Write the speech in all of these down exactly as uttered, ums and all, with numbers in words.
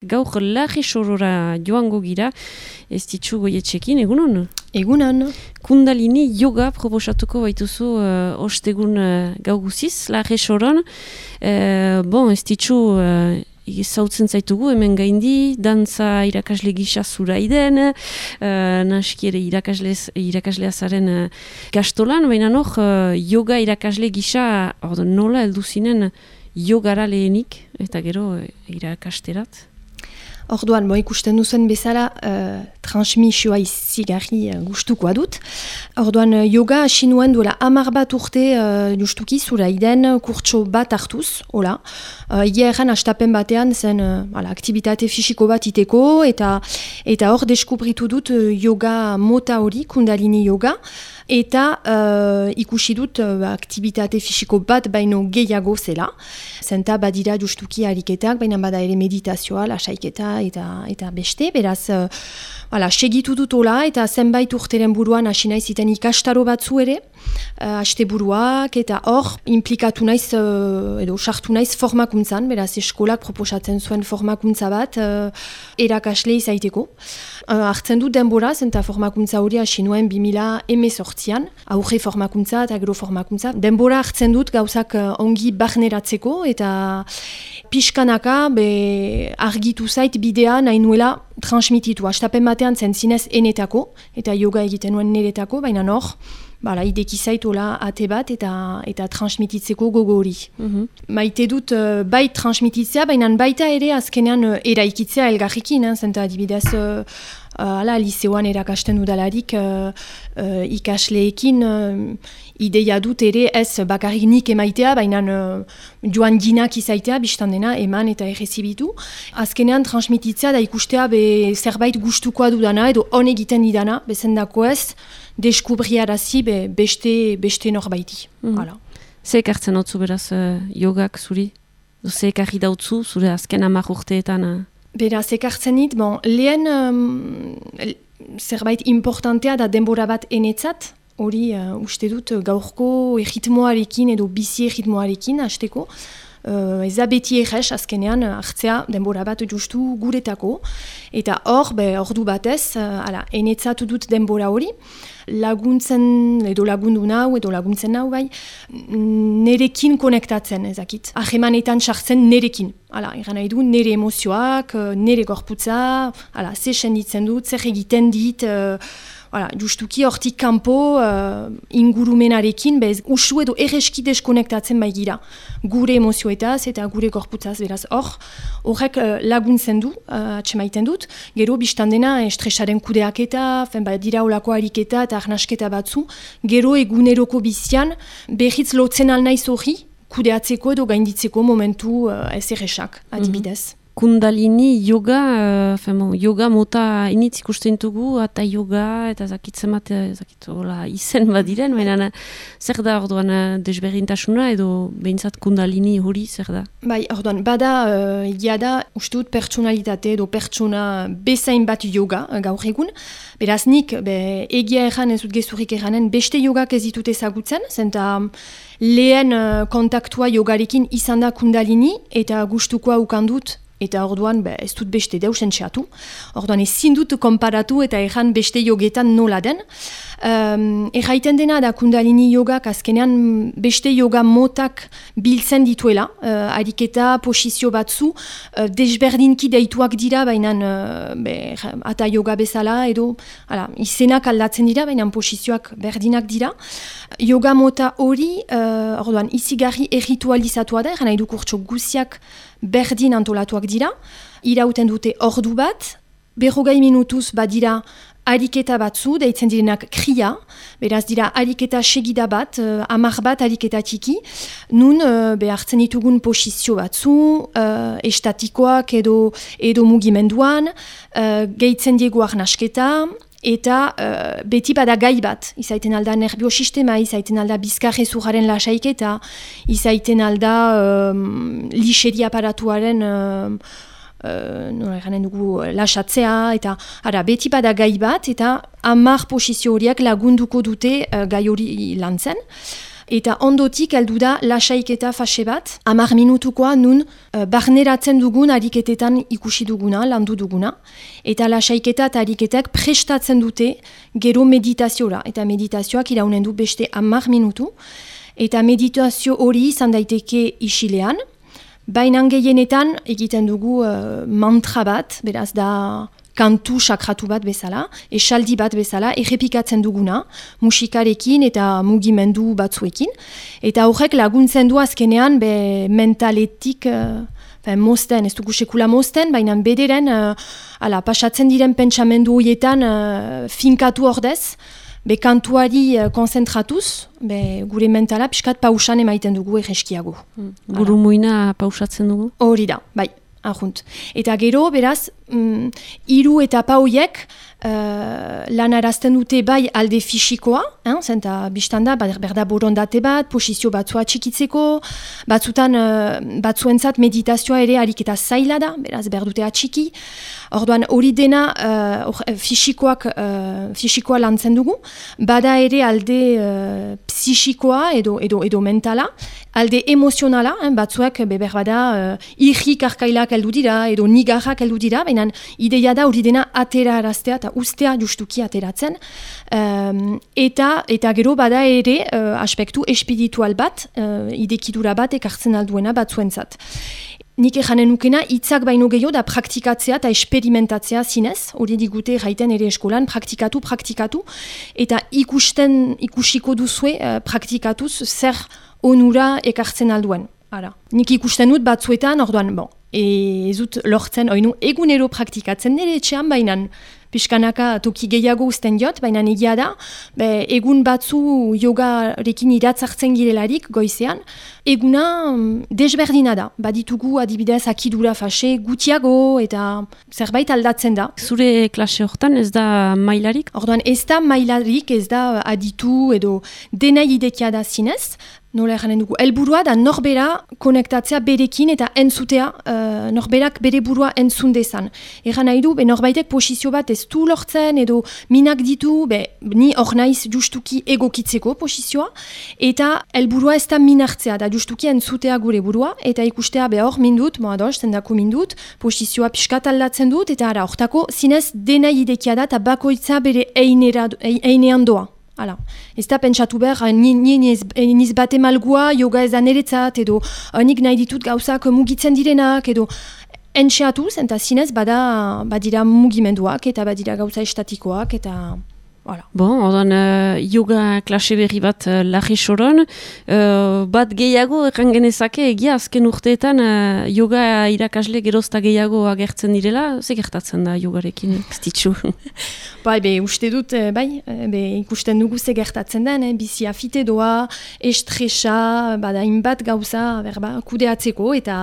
Gaur larri sorora joango gira, ez ditzu goietxekin, egunon? Egunon. Kundalini yoga proposatuko baituzu uh, ostegun uh, gau guziz, larri soron. Uh, bon, ez ditzu uh, zautzen zaitugu, hemen gaindi, dantza irakasle gisa zuraiden, uh, naski ere irakaslea zaren uh, gastolan, baina noh, uh, yoga irakasle gisa, ordo, nola heldu zinen yogara lehenik, eta gero uh, irakasterat? Orduan, bo ikusten duzen bezala, uh, transmisioa izigarri uh, gustukoa dut. Orduan, uh, yoga hasi nuen duela hamar bat urte uh, justuki zuraiden kurtso bat hartuz, hola. Uh, Ia erran astapen batean zen uh, ala, aktibitate fisiko bat iteko, eta eta hor deskubritu dut uh, yoga mota hori, kundalini yoga, eta uh, ikusi dut uh, aktibitate fisiko bat baino gehiago zela. Zenta badira justuki ariketak, baina bada ere meditazioa, lasaiketa eta eta beste, beraz, uh, ala, segitu dut hola, eta zenbait urteren buruan hasi naiz iten ikastaro batzu ere, uh, aste buruak, eta hor implikatu naiz, uh, edo sartu naiz formakuntzan, beraz eskolak proposatzen zuen formakuntza bat, uh, erakasle izaiteko. Uh, hartzen dut denbora, zenta formakuntza hori hasi nuen bi mila hemezortzian, aurre formakuntza eta gero formakuntza. Denbora hartzen dut gauzak uh, ongi barneratzeko, eta pixkanaka be, argitu zait bidea nahi nuela transmititu. Astapen batean zen zinez enetako, eta yoga egiten nuen niretako, baina hor, bala, ideki zaitola ate bat eta eta transmititzeko gogo hori. Mm-hmm. Maite dut uh, bai transmititzea, baina baita ere azkenean uh, eraikitzea elgarrikin, eh, zenta adibidez uh, uh, ala, liseoan erakasten dudalarik uh, uh, ikasleekin uh, ideia dut ere ez bakarrik nik emaitea, baina uh, joan ginak izaitea, biztan dena eman eta errezibitu. Azkenean transmititzea da ikustea be, zerbait gustukoa dudana edo on egiten didana, bezendako ez, deskubriarazi be, beste, beste norbaiti. Mm. Ze ekartzen hau beraz uh, yogak zuri? Ze ekarri dautzu zure azken hamar urteetan? Uh... Beraz ekartzen dit, bon, lehen um, zerbait importantea da denbora bat enetzat, hori uh, uste dut gaurko erritmoarekin edo bizi erritmoarekin hasteko. Uh, ez da beti errez azkenean hartzea denbora bat justu guretako, eta hor, be, ordu batez, uh, ala, enetzatu dut denbora hori, laguntzen, edo lagundu nau, edo laguntzen nau bai, nerekin konektatzen ezakit. Ahemanetan sartzen nerekin. Hala, eran nahi du, nere emozioak, nere gorputza, hala, ze senditzen dut, zer egiten dit, uh, Hala, justuki hortik kanpo uh, ingurumenarekin, bez, usu edo erreski deskonektatzen bai gira. Gure emozioetaz eta gure gorputzaz, beraz hor, horrek uh, laguntzen du, uh, atxemaiten dut, gero biztan dena estresaren kudeaketa, fen, ba, dira olako ariketa eta arnasketa batzu, gero eguneroko bizian, berriz lotzen alnaiz hori, kudeatzeko edo gainditzeko momentu uh, ez erresak, adibidez. Mm-hmm. Kundalini yoga, uh, femo, yoga mota initz ikusten dugu, eta yoga, eta zakitzen bat, zakitzola izen bat diren, baina zer da orduan desberdintasuna edo behintzat kundalini hori zer da? Bai, orduan, bada, uh, jada, uste dut pertsonalitate edo pertsona bezain bat yoga uh, gaur egun, beraz nik, be, egia erran ez dut gezurik erranen, beste yogak ez ditut ezagutzen, zenta lehen uh, kontaktua yogarekin izan da kundalini, eta gustukoa ukandut, eta orduan be, ez dut beste deus entxeatu. Orduan ezin dut konparatu eta erran beste yogetan nola den. Um, erraiten dena da kundalini yogak azkenean beste yoga motak biltzen dituela. Uh, ariketa, posizio batzu, uh, desberdinki deituak dira, baina uh, ata yoga bezala edo ala, izenak aldatzen dira, baina posizioak berdinak dira. Yoga mota hori, uh, orduan, izigarri erritualizatua da, erran nahi du kurtso guziak berdin antolatuak dira, irauten dute ordu bat, berrogei minutuz badira ariketa batzu, deitzen direnak kria, beraz dira ariketa segida bat, uh, amar bat ariketa txiki, nun uh, behartzen ditugun posizio batzu, uh, estatikoak edo, edo mugimenduan, uh, gehitzen diegu arnasketa, eta uh, beti bada gai bat, izaiten alda nerviosistema, izaiten alda bizkarrezurraren lasaiketa, izaiten alda um, lixeri aparatuaren uh, uh, nola eranen dugu lasatzea, eta ara, beti bada gai bat, eta hamar posizio horiak lagunduko dute uh, gai hori lantzen. Eta ondotik heldu da lasaiketa fase bat, hamar minutukoa nun uh, barneratzen dugun ariketetan ikusi duguna, landu duguna. Eta lasaiketa eta ariketak prestatzen dute gero meditaziora. Eta meditazioak iraunen du beste hamar minutu. Eta meditazio hori izan daiteke isilean. Baina gehienetan egiten dugu uh, mantra bat, beraz da kantu sakratu bat bezala, esaldi bat bezala, errepikatzen duguna, musikarekin eta mugimendu batzuekin. Eta horrek laguntzen du azkenean be mentaletik, uh, mozten, ez dugu sekula mozten, baina bederen, uh, ala, pasatzen diren pentsamendu horietan uh, finkatu ordez, be kantuari uh, konzentratuz, be gure mentala piskat pausan emaiten dugu erreskiago. Mm. Buru muina pausatzen dugu? Hori da, bai. Ahunt. Eta gero, beraz, mm, hiru etapa horiek uh, lan arazten dute bai alde fisikoa, hein, zenta biztanda, berda borondate bat, posizio batzua txikitzeko, batzutan uh, batzuentzat meditazioa ere ariketa zaila da, beraz berdute atxiki. Orduan hori dena uh, or, fisikoak, uh, fisikoa lantzen dugu, bada ere alde uh, psixikoa edo, edo, edo mentala, alde emozionala, hein, batzuek beber bada uh, irrik arkailak heldu dira, edo nigarrak heldu dira, baina ideia da hori dena atera araztea eta ustea justuki ateratzen. Um, eta, eta gero bada ere uh, aspektu espiritual bat, uh, idekidura bat ekartzen alduena batzuentzat. Nik ejanen nukena, hitzak baino gehiago da praktikatzea eta esperimentatzea zinez, hori digute jaiten ere eskolan, praktikatu, praktikatu, eta ikusten, ikusiko duzue uh, praktikatuz zer onura ekartzen alduen. Ara. Nik ikusten dut batzuetan, orduan, bon, ez dut lortzen, oinu, egunero praktikatzen nire etxean, bainan, pixkanaka toki gehiago uzten diot, baina egia da, be, egun batzu yogarekin iratzartzen girelarik goizean, eguna desberdina da. Baditugu adibidez akidura fase gutiago eta zerbait aldatzen da. Zure klase hortan ez da mailarik? Orduan ez da mailarik, ez da aditu edo dena idekia da zinez, nola eranen dugu, helburua da norbera konektatzea berekin eta entzutea, uh, norberak bere burua entzun dezan. Eran nahi du, be, norbaitek posizio bat ez du lortzen edo minak ditu, be, ni hor naiz justuki egokitzeko posizioa, eta helburua ez da minartzea, da justuki entzutea gure burua, eta ikustea be hor mindut, moa doz, zendako mindut, posizioa pixkat aldatzen dut, eta ara, hortako zinez dena idekia da, eta bakoitza bere einean doa. Hala, ez da pentsatu behar, niz bate malgua, yoga ez da niretzat, edo nik nahi ditut gauzak mugitzen direnak, edo entxeatuz, eta zinez bada badira mugimenduak, eta badira gauza estatikoak, eta... Voilà. Bon, ordan uh, yoga klase berri bat uh, Larri Soron, uh, bat gehiago erran genezake egia azken urteetan uh, yoga irakasle gerozta gehiago agertzen direla, ze gertatzen da yogarekin, ez ditzu? Bai, be, uste dut, bai, be, ikusten dugu ze gertatzen den, eh, bizi afite doa, estresa, bada inbat gauza, berba, kudeatzeko, eta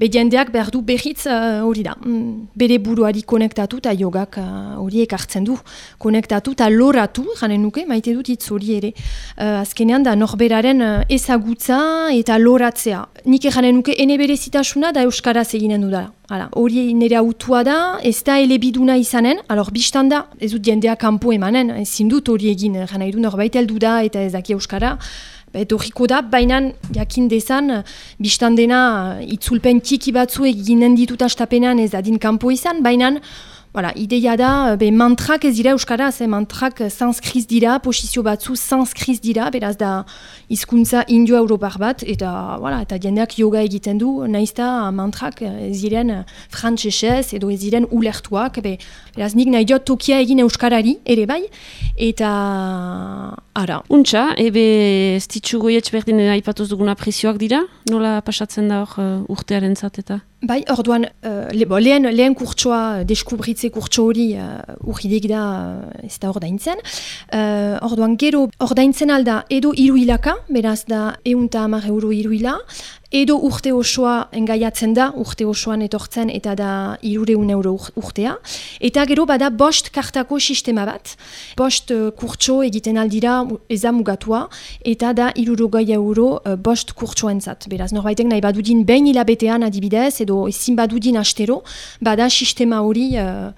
be, jendeak behar du berriz hori uh, da, mm, bere buruari konektatu eta yogak hori uh, ekartzen du, konektatu eta loratu, janen nuke, maite dut hitz hori ere. Uh, azkenean da norberaren uh, ezagutza eta loratzea. Nik janen nuke ene berezitasuna da euskaraz eginen du da. Hala, hori nire autua da, ez da elebiduna izanen, alor biztan da, ez dut jendea kanpo emanen, ezin dut hori egin, jana edu norbait heldu da eta ez daki euskara, etorriko da, baina jakin dezan, biztan dena itzulpen txiki batzu eginen ditut astapenean ez dadin kanpo izan, baina voilà, ideia da, be, mantrak ez dira euskaraz, eh, mantrak sanskriz dira, posizio batzu sanskriz dira, beraz da hizkuntza indio-europar bat, eta, voilà, eta jendeak yoga egiten du, naizta mantrak ez diren frantsesez edo ez diren ulertuak, be, beraz nik nahi diot tokia egin euskarari, ere bai, eta ara. Untxa, ebe ez ditzu goietz berdin aipatuz duguna prezioak dira? Nola pasatzen da hor uh, urtearen zat eta? Bai, orduan, uh, le, bo, lehen, lehen kurtsoa, deskubritze kurtso hori uh, urridek da uh, ez da ordaintzen. Uh, orduan, gero ordaintzen alda edo hiru hilaka, beraz da ehunta hamar euro hiru hila, edo urte osoa engaiatzen da, urte osoan etortzen eta da hirureun euro urtea. Eta gero bada bost kartako sistema bat. Bost uh, kurtso egiten aldira eza mugatua, eta da hirurogei euro uh, bost kurtsoentzat. Beraz, norbaitek nahi badudin behin hilabetean adibidez, edo ezin badudin astero, bada sistema hori... Uh,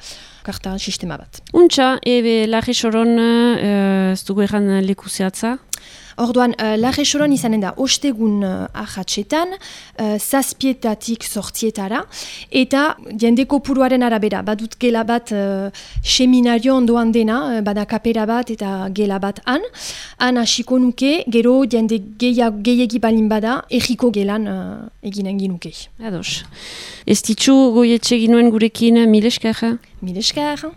karta sistema bat. Untxa, ebe Larri Soron uh, ez dugu erran leku zehatza? Orduan, uh, larre soron izanen da ostegun uh, ahatsetan, uh, zazpietatik sortzietara, eta jende kopuruaren arabera, badut gela bat uh, seminario ondoan dena, uh, bada kapera bat eta gela bat han, han hasiko nuke, gero jende gehiagi balin bada, egiko gelan uh, eginen ginuke. Ados. Ez ditzu goietxe ginuen gurekin mileskara? Mileskara.